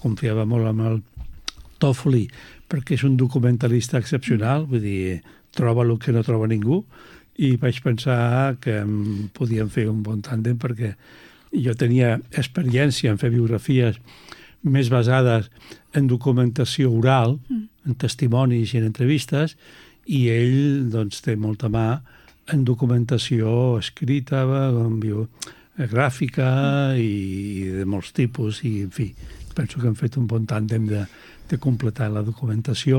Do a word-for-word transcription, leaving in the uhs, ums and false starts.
confiava molt en el Toffoli, perquè és un documentalista excepcional, vull dir, troba el que no troba ningú, i vaig pensar que podíem fer un bon tàndem perquè jo tenia experiència en fer biografies més basades en documentació oral, en testimonis i en entrevistes, i ell doncs, té molta mà en documentació escrita, biogràfica i de molts tipus, i en fi, penso que hem fet un bon tàndem de, de completar la documentació